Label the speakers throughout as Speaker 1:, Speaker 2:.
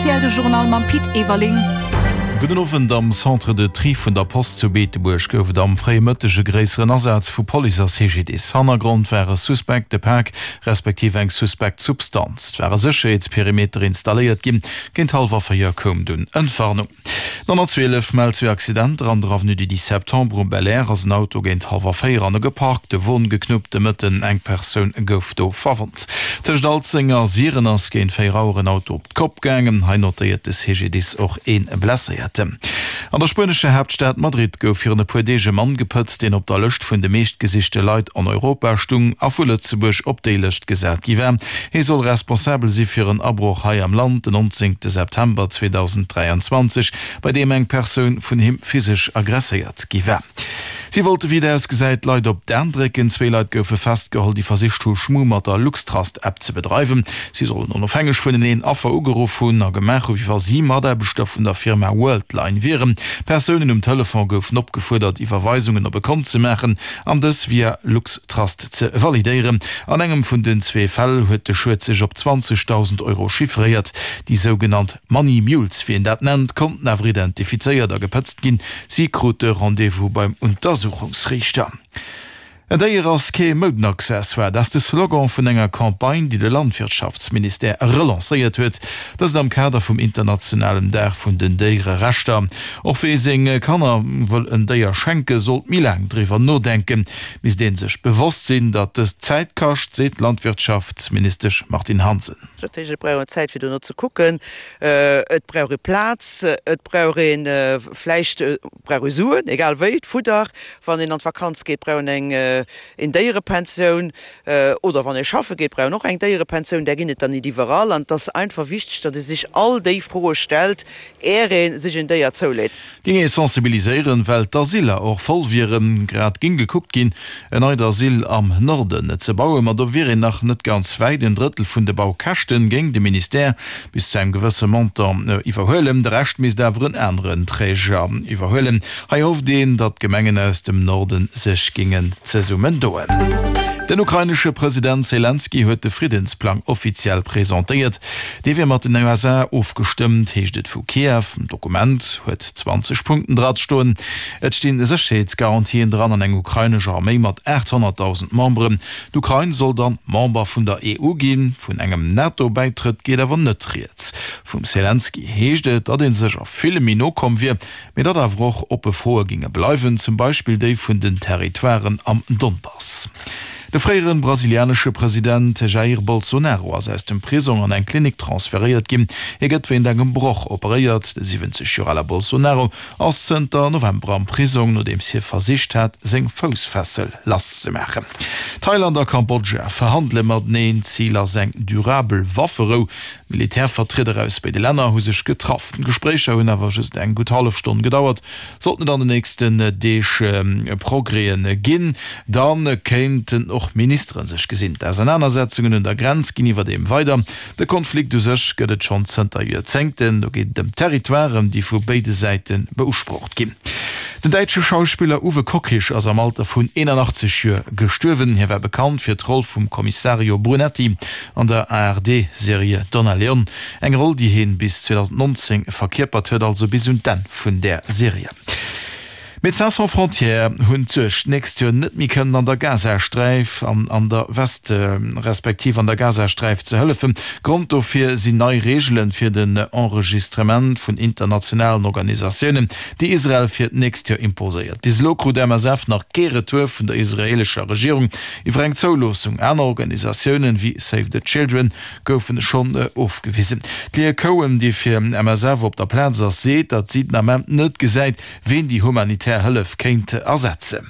Speaker 1: rtl de Journal mam Pit Everling.
Speaker 2: Gudden Owend. Am Centre de Tri vun der Post zu Beetebuerg gouf et am fréie Mëtteg e gréisseren Asaz vu Police a CGDIS. Hannergrond war e suspekte Pak, respektiv eng suspekt Substanz. Et war e Sécherheetsperimeter installéiert ginn. Géint hallwer 4 koum dunn Entwarnung. 112 mellt zwee Accidenter an der Avenue du 10 Septembre um Belair ass en Auto géint hallwer 4 an e geparkte Won geknuppt. De Mëtten eng Persoun gouf do verwonnt. Tëscht Alzeng a Siren ass géint 4 Auer en Auto op d'Kopp gaangen. Hei notéiert de CGDIS och ee Blesséierten. An der spuenescher Haaptstad Madrid gouf virun e puer Deeg e Mann gepëtzt, deen op der Lëscht vun de meeschtgesichte Leit an Europa stung a vu Lëtzebuerg op déi Lëscht gesat gi war. Hie soll responsabel si fir en Abroch hei am Land den 19 September 2023, bei deem eng Persoun vun him physesch aggresséiert gi war. Si wollte wéi et ausgesäit d'Leit op d'Aen drécken. Zwee Leit goufe festgeholl, déi versicht hu Schmu mat der LuxTrust-App ze bedreiwen. Si sollen onofhängeg vuneneen Affer ugeruff hunn a gemaach hu wéi wa si Mataarbechter vun der Firma Worldline wieren. Persounen um Telefon goufen opgefuerdert Iwwerweisungen op e Kont ze maachen an dës via LuxTrust ze validéieren. An engem vun den zwee Fäll huet de Schued sech op 20.000 Euro chiffréiert. Déi sougenannt Money Mules, wéi een dat nennt, konnten awer identifizéiert a gepëtzt ginn. Si krute Rendez-vous beim Untersuchungsriichter. En Déier ass kee Moudenaccessoire, dat ass de Slogan vun enger Campagne, déi de Landwirtschaftsministère relancéiert huet. Dëst am Kader vum internationalen Dag vun den Déiererechter. Och wee seng Kanner wëll en Déier schenken, sollt méi laang driwwer nodenken. Misst ee sech bewosst sinn, datt dëst Zäit kascht, seet d'Landwirtschaftsministesch Martine Hansen.
Speaker 3: Dat heescht, et brauch een Zäit fir dono ze kucken, et brauch ee Plaz, et brauch ee vläicht brauch ee Suen, egal wéi, d'Fudder, wann een an d'Vakanz geet, brauch een eng een Déierepensioun oder wann ee schaffe geet, brauch een och eng Déierepensioun. Där ginn et dann nit iwwerall an et ass einfach wichteg, datt ee sech all déi Froe stellt, är ee sech en Déier zouleet.
Speaker 2: Géing ee sensibiliséieren, well d'Asyler och voll wieren. Grad géing gekuckt ginn, en neit Asyl am Norden ze bauen, ma do wier een nach net ganz wäit. En Drëttel vun de Baukäschten géing de Ministère bis zu engem gewësse Montant iwwerhuelen, de Rescht misst awer en aneren Träger iwwerhuelen. Hei hofft een, datt d'Gemengen aus dem Norden sech géingen zesummendoen. Den ukrainesche President Selenskyj huet de Friddensplang offiziell presentéiert. Dee wier mat den USA ofgestëmmt, heescht et vu Kiew. D'Dokument huet 20 Punkten dra stoen. Et sti Sécherheetsgarantien dran an eng ukrainesch Arméi mat 800.000 Memberen. D'Ukrain soll dann Member vun der EU ginn. Vun engem NATO-Bäitrëtt geet awer net rieds. Vum Selenskyj heescht et, datt ee sech a villem méi no komm wier, mee datt awer och oppe Froe géinge bleiwen, zum Beispill déi vun den Territoiren am Donbass. De fréiere brasilianesche President Jair Bolsonaro ass aus dem Prisong an eng Klinik transferéiert ginn. Hie gëtt wéint engem Broch operéiert. De 70 Joer ale Bolsonaro ass zënter November am Prisong, nodeems hie versicht hat, seng Foussfessel lasszemaachen. Thailand a Kambodscha verhandele mateneen. Zil ass eng durabel Wafferou. Militärvertrieder aus béide Länner hu sech getraff. D'Gespréicher hunn awer just eng gutt hallef Stonn gedauert. Sollten et an den nächsten Deeg Progrèsen ginn, da kéinten och Ministere sech gesinn. D'Ausernanersetzungen un der Grenz ginn iwwerdeem weider. De Konflikt u sech gëtt et schonn zënter Joerzéngten. Do geet et ëm Territoiren, déi vu béide Säite beusprocht ginn. Den däitsche Schauspiller Uwe Kockisch ass am Alter vun 81 Joer gestuerwen. Hie war bekannt fir d'Roll vum Kommissario Brunetti an der ARD-Serie Donna Leon, eng Roll déi heen bis 2019 verkierpert huet, also bis un d'Enn vun där Serie. Médecins sans frontières hunn d'Suerg, d'nächst Joer net méi kënnen an der Gazasträif an an der West respektiv an der Gazasträif ze hëllefen. Grond dofir sinn nei Reegelen fir den Enregistrement vun internationalen Organisatiounen, déi Israel fir d'nächst Joer imposéiert. Bis elo krut MSF nach kee Retour vun der israeelescher Regierung Iwwer eng Zouloossung aner Organisatiounen, wéi Save the Children, goufen schonn ofgewisen. D'Leah Cohen, déi fir MSF op der Plaz ass, seet, datt si den Ament net gesäit, ween déi humanitär Hëllef kéint ersetzen.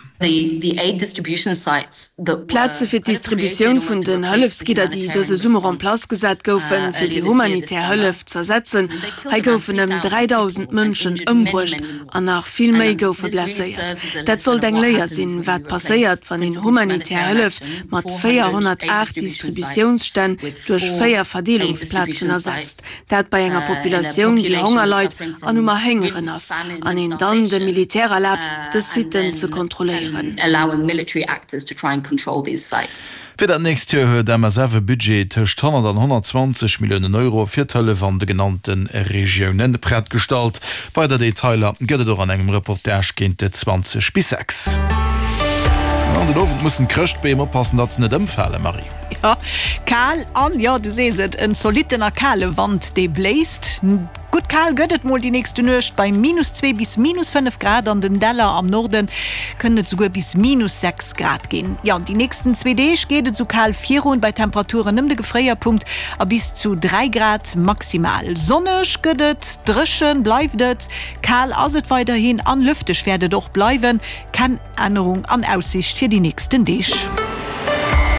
Speaker 4: D'Plaze fir d'Distributioun vun den Hëllefsgidder, déi dëse Summer en place gesat goufen, fir déi humanitär Hëllef z'ersetzen, hei goufen ëm 3.000 Mënschen ëmbruecht An nach vill méi goufe blesséiert. Dat sollt eng Léier sinn, wat passéiert, wann een humanitär Hëllef mat 408 Distributiounsstänn duerch 4 Verdeelungsplazen ersetzt. Dat bei enger Populatioun, déi Honger leit an um Erhéngeren ass, an een dann dem Militär erlaabt, dës Sitten ze kontrolléieren. kontrolléieren.
Speaker 2: Fir dat nächst Joer huet MSF e Budget tëscht 100 an 120 Milliounen Euro fir d'Hëllef an de genannte Regioune prett gestallt. Weider Detailer gëtt et och an engem Reportage géint 20 bis 6. An den Owend mussen d'Chrëschtbeem oppassen, datt se net ëmfalen, Marie.
Speaker 1: Jo, kal an, jo, du sees et, en zolitten a kale Wand, dee bléist. Gutt kal gëtt et mol déi nächste Nuecht bei minus 2 bis minus 5 Grad, an den Däller am Norde kënnen et souguer bis minus 6 Grad ginn. Jo, déi nächsten zwee Deeg geet et sou kal virun, bei Temperaturen ëm de Gefréierpunkt a bis zu 3 Grad maximal. Sonneg gëtt et, dréchen bleift et, kal ass et weiderhin an lëfteg wäert et och bleiwen. Ken Ännerung an Aussicht fir déi nächsten Deeg.